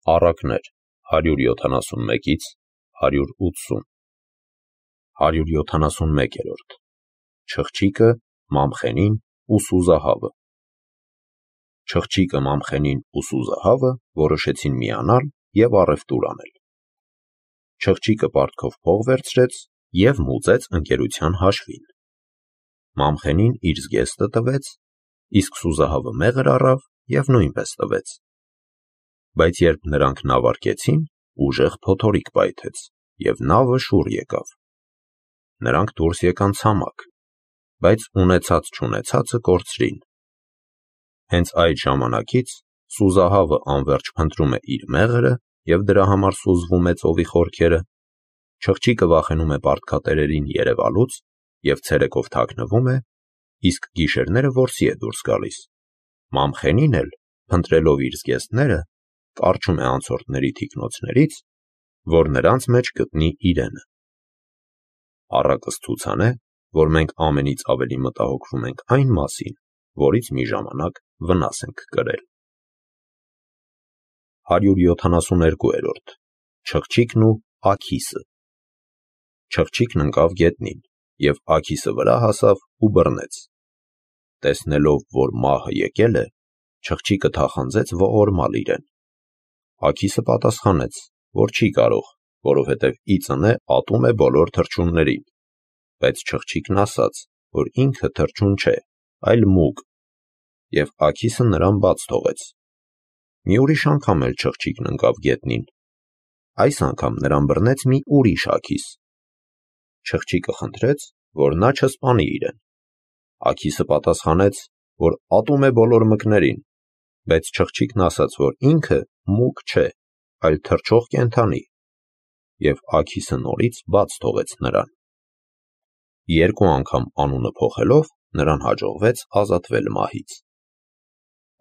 Առակներ 171-ից 180 171-րդ Չղջիկը, Մամխենին ու Սուզահավը Չղջիկը, Մամխենին ու Սուզահավը որոշեցին միանալ և առևտուր անել։ Չղջիկը պարտքով փող վերցրեց և մուծեց ընկերության հաշվին։ Մամխենին իր զգեստը տվեց, իսկ Սուզահավը մեղր առավ և նույնպես տվեց։ Բայց երբ նրանք նավ առկեցին, ուժեղ փոթորիկ պայթեց, և նավը շուռ եկավ։ Նրանք դուրս եկան ցամաք, բայց ունեցած-չունեցածը կորցրին։ Հենց այդ ժամանակից Սուզահավը անվերջ փնտրում է իր մեղրը և դրա համար սուզվում է ծովի խորքերը, Չղջիկը վախենում է պարտքատերերին երևալուց և ցերեկով թաքնվում է, իսկ գիշերները որսի է դուրս գալիս։ Մամխենին էլ, փնտրելով իր զգեստները, կառչում է անցորդների թիկնոցներից, որ նրանց մեջ գտնի իրենը։ Առակս ցուցան է, որ մենք ամենից ավելի մտահոգվում ենք այն մասին, որից մի ժամանակ վնաս ենք կրել։ 172-րդ Չղջիկն ու Աքիսը Չղջիկն ընկավ գետնին, և Աքիսը վրա հասավ ու բռնեց։ Տեսնելով, որ մահը եկել է, Չղջիկը թախանձեց ողորմալ իրեն։ Աքիսը պատասխանեց, որ չի կարող, որովհետև ի ծնե ատում է բոլոր թռչուններին, բայց Չղջիկն ասաց, որ ինքը թռչուն չէ, այլ մուգ, և Աքիսը նրան բաց թողեց։ Մի ուրիշ անգամ էլ Չղջիկն ընկավ գետնին։ Այս անգամ նրան բռնեց մի ուրիշ Աքիս։ Չղջիկը խնդրեց, որ նա չսպանի իրեն։ Աքիսը պատասխանեց, որ ատում է բոլոր մկներին, բայց Չղջիկն ասաց, որ ինքը մուգ չէ, այլ թռչող կենդանի, և Աքիսը նորից բաց թողեց նրան։ Երկու անգամ անունը փոխելով, նրան հաջողվեց ազատվել մահից։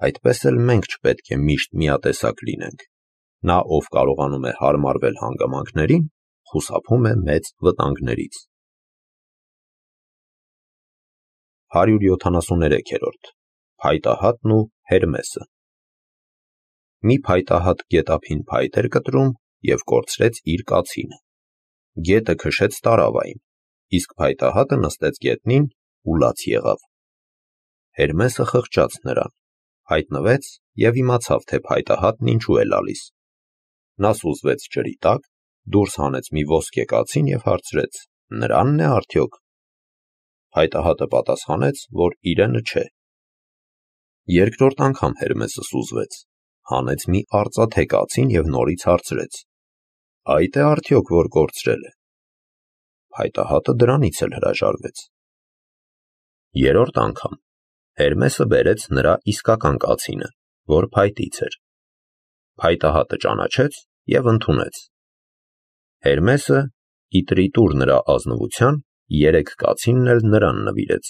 Այդպես էլ մենք չպետք է միշտ միատեսակ լինենք։ Նա, ով կարողանում է հարմարվել հանգամանքներին, խուսափում է մեծ վտանգներից։ 173-րդ Փայտահատն ու Հերմեսը Մի փայտահատ գետափին փայտ էր կտրում և կորցրեց իր կացինը։ Գետը քշեց տարավային, իսկ փայտահատը նստեց գետնին ու լաց եղավ։ Հերմեսը խղճաց նրան, հայտնվեց և իմացավ, թե փայտահատն ինչու է լալիս։ Նա սուզվեց ջրի տակ, դուրս հանեց մի ոսկե կացին և հարցրեց. «Նրան՞ն է արդյոք»։ Փայտահատը պատասխանեց, որ իրենը չէ։ Երկրորդ անգամ Հերմեսը սուզվեց, հանեց մի արծաթե կացին և նորից հարցրեց. «Այդ է արդյոք, որ կորցրել է»։ Փայտահատը դրանից էլ հրաժարվեց։ Երրորդ անգամ Հերմեսը բերեց նրա իսկական կացինը, որ փայտից էր։ Փայտահատը ճանաչեց և ընդունեց։ Հերմեսը, ի տրիտուր նրա ազնվության, 3 կացինն էլ նրան նվիրեց։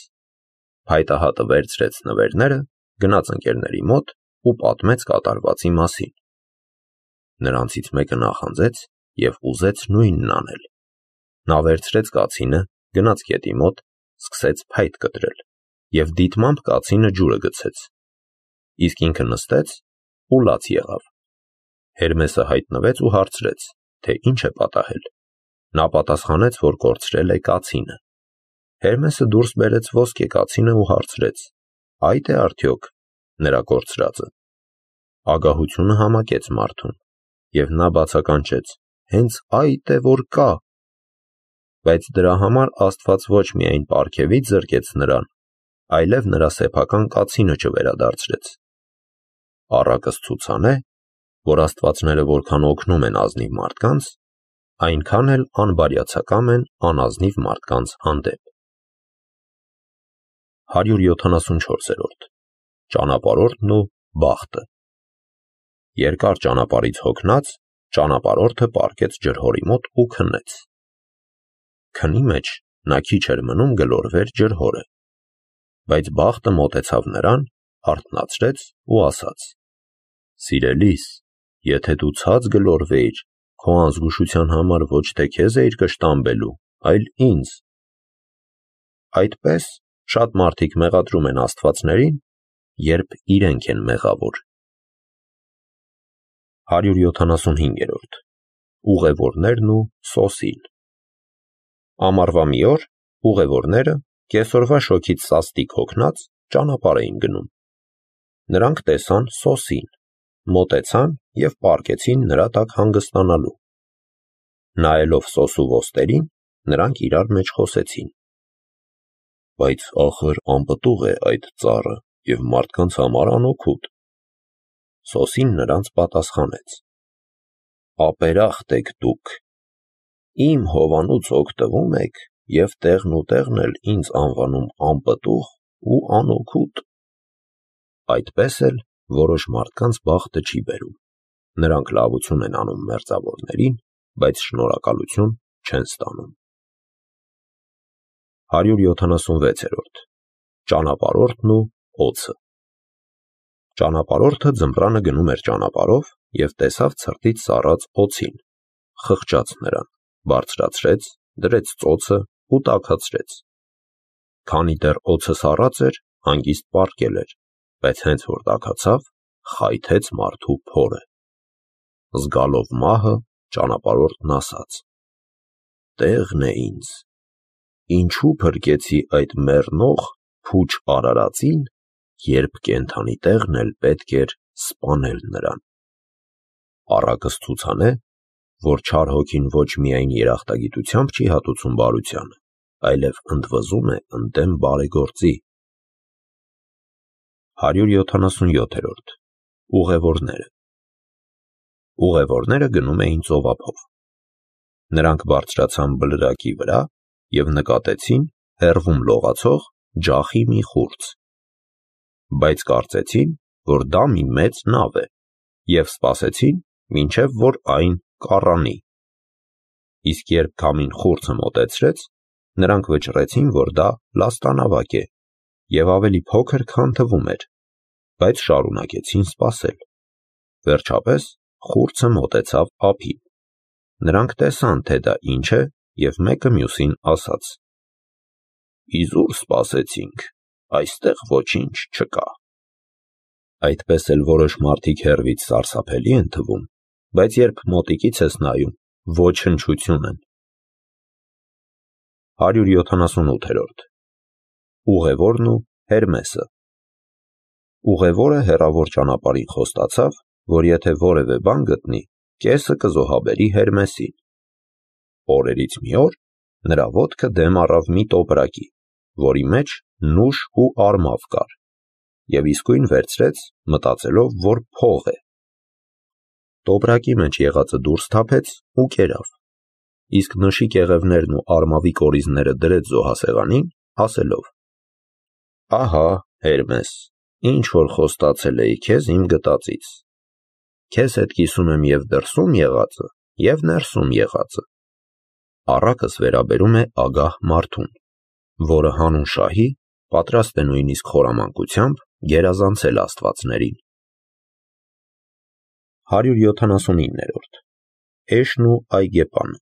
Փայտահատը վերցրեց նվերները, գնաց ընկերների մոտ ու պատմեց կատարվածի մասին։ Նրանցից մեկը նախանձեց և ուզեց նույնն անել։ Նա վերցրեց կացինը, գնաց գետի մոտ, սկսեց փայտ կտրել և դիտմամբ կացինը ջուրը գցեց, իսկ ինքը նստեց ու լաց եղավ։ Հերմեսը հայտնվեց ու հարցրեց, թե ինչ է պատահել։ Նա պատասխանեց, որ կորցրել է կացինը։ Հերմեսը դուրս բերեց ոսկե կացինը ու հարցրեց. «Այդ է արդյոք նրա կորցրածը»։ Ագահությունը համակեց մարդուն, և նա բացականչեց. «Հենց այդ է, որ կա»։ Բայց դրա համար Աստված ոչ միայն պարգևից զրկեց նրան, այլև նրա սեփական կացինը չվերադարձրեց։ Առակս ցուցան է, որ աստվածները որքան օգնում են ազնիվ մարդկանց, այնքան էլ անբարյացակամ են անազնիվ մարդկանց հանդեպ։ 174-րդ Ճանապարհորդն ու բախտը Երկար ճանապարհից հոգնած, ճանապարհորդը պառկեց ջրհորի մոտ ու քնեց։ Քնի մեջ նա քիչ էր մնում գլորվեր ջրհորը, բայց բախտը մոտեցավ նրան, արթնացրեց ու ասաց. «Սիրելիս, եթե դու ցած գլորվեիր, քո անզգուշության համար ոչ թե քեզ էիր կշտամբելու, այլ ինձ»։ Այդպես շատ մարդիկ մեղադրում են աստվածներին, երբ իրենք են մեղավոր։ 175-րդ Ուղևորներն ու Սոսին։ Ամառվա մի օր ուղևորները կեսօրվա շոգից սաստիկ հոգնած ճանապարհ էին գնում։ Նրանք տեսան Սոսին, մոտեցան և պառկեցին նրա տակ հանգստանալու։ Նայելով Սոսու ոստերին, նրանք իրար մեջ խոսեցին. «Բայց ախր անպտուղ է այդ ծառը և մարդկանց համար անօգուտ»։ Սոսին նրանց պատասխանեց. «Ապերախտ եք դուք, իմ հովանուց օգտվում եք և տեղն ու տեղն էլ ինձ անվանում անպտուղ ու անօգուտ»։ Այդպես էլ որոշ մարդկանց բախտը չի բերում. նրանք լավություն են անում մերձավորներին, բայց շնորհակալություն չեն ստանում։ 176-րդ Ճանապարհորդն ու օձը։ Ճանապարհորդը ձմռանը գնում էր ճանապարհով և տեսավ ցրտից սառած օձին, խղճաց նրան, բարձրացրեց, դրեց ծոցը ու տաքացրեց։ Քանի դեռ օձը սառած էր, հանգիստ պառկել էր, բայց հենց որ տաքացավ, խայթեց մարդու փորը։ Զգալով մահը, ճանապարհորդն ասաց. «Տեղն է ինձ, ինչու փրկեցի այդ մեռնող փուչ արարածին, երբ կենդանի տեղն էլ պետք էր սպանել նրան»։ Առակս ցուցան է, որ չար հոգին ոչ միայն երախտագիտությամբ չի հատուցում բարությանը, այլև ընդվզում է ընդդեմ բարեգործի։ 177-րդ Ուղևորները։ Ուղևորները գնում էին ծովափով։ Նրանք բարձրացան բլրակի վրա և նկատեցին հեռվում լողացող ջախի մի խուրձ, բայց կարծեցին, որ դա մի մեծ նավ է, և սպասեցին, մինչև որ այն կառանի։ Իսկ երբ քամին խուրձը մոտեցրեց, նրանք վճռեցին, որ դա լաստանավակ է և ավելի փոքր, քան թվում էր, բայց շարունակեցին սպասել։ Վերջապես խուրձը մոտեցավ ափին։ Նրանք տեսան, թե դա ինչ է, և մեկը մյուսին ասաց. «Իզուր սպասեցինք, այստեղ ոչինչ չկա»։ Այդպես էլ որոշ մարդիկ հեռվից սարսափելի են թվում, բայց երբ մոտիկից ես նայում, ոչնչություն են։ 178-րդ Ուղևորն ու Հերմեսը։ Ուղևորը հեռավոր ճանապարհին խոստացավ, որ եթե որևէ բան գտնի, կեսը կզոհաբերի Հերմեսին։ Օրերից մի օր նրա ոտքը դեմ առավ մի տոպրակի, որի մեջ նուշ ու արմավ կար, և իսկույն վերցրեց, մտածելով, որ փող է։ Տոպրակի մեջ եղածը դուրս թափեց ու կերավ, իսկ նշի կեղևներն ու արմավի կորիզները դրեց զոհասեղանին, ասելով. «Ահա, Հերմես, ինչ որ խոստացել էի քեզ իմ գտածից. քեզ հետ կիսում եմ և դրսում եղածը, և ներսում եղածը»։ Առակս վերաբերում է ագահ մարդուն, որը հանուն շահի պատրաստ է նույնիսկ խորամանկությամբ գերազանցել աստվածներին։ 179-րդ Էշն ու այգեպանը։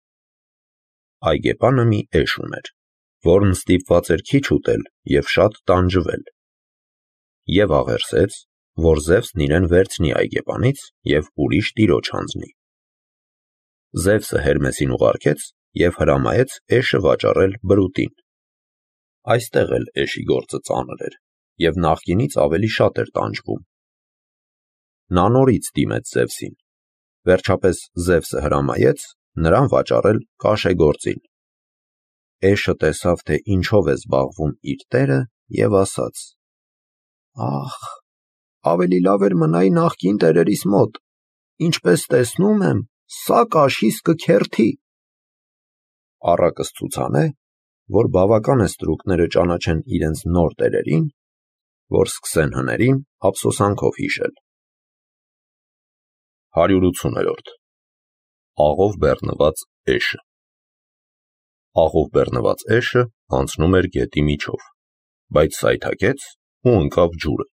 Այգեպանը մի էշ ուներ, որն ստիպված էր քիչ ուտել և շատ տանջվել, և աղերսեց, որ Զևսն իրեն վերցնի այգեպանից և ուրիշ տիրոջ հանձնի։ Զևսը Հերմեսին ուղարկեց և հրամայեց էշը վաճառել բրուտին։ Այստեղ էլ էշի գործը ծանր էր, և նախկինից ավելի շատ էր տանջվում։ Նա նորից դիմեց Զևսին։ Վերջապես Զևսը հրամայեց նրան վաճառել կաշեգործին։ Էշը տեսավ, թե ինչով է զբաղվում իր տերը, և ասաց. «Ախ, ավելի լավ էր մնայի նախկին տերերիս մոտ, ինչպես տեսնում եմ, սա կաշիս կքերթի»։ Առակս ցուցան է, որ բավական է ստրուկները ճանաչեն իրենց նոր տերերին, որ սկսեն հներին ափսոսանքով հիշել։ 180-րդ Աղով բեռնված էշը։ Աղով բեռնված էշը անցնում էր գետի միջով, բայց սայթաքեց ու ընկավ ջուրը։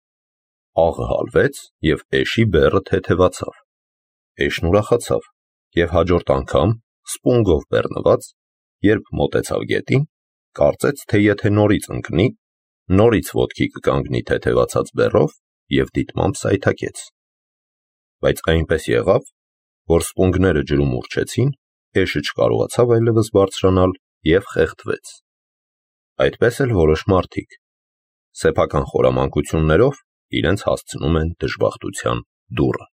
Աղը հալվեց և էշի բեռը թեթևացավ։ Էշն ուրախացավ և հաջորդ անգամ, սպունգով բեռնված, երբ մոտեցավ գետին, կարծեց, թե եթե նորից ընկնի, նորից ոտքի կկանգնի թեթևացած բեռով և դիտմամբ սայթաքեց։ Բայց այնպես եղավ, որ սպունգները ջրում ուռչեցին, էշը չկարողացավ այլևս բարձրանալ և խեղդվեց։ Այդպես էլ որոշ մարդիկ սեփական խորամանկություններով իրենց հասցնում են դժբախտության դուռը։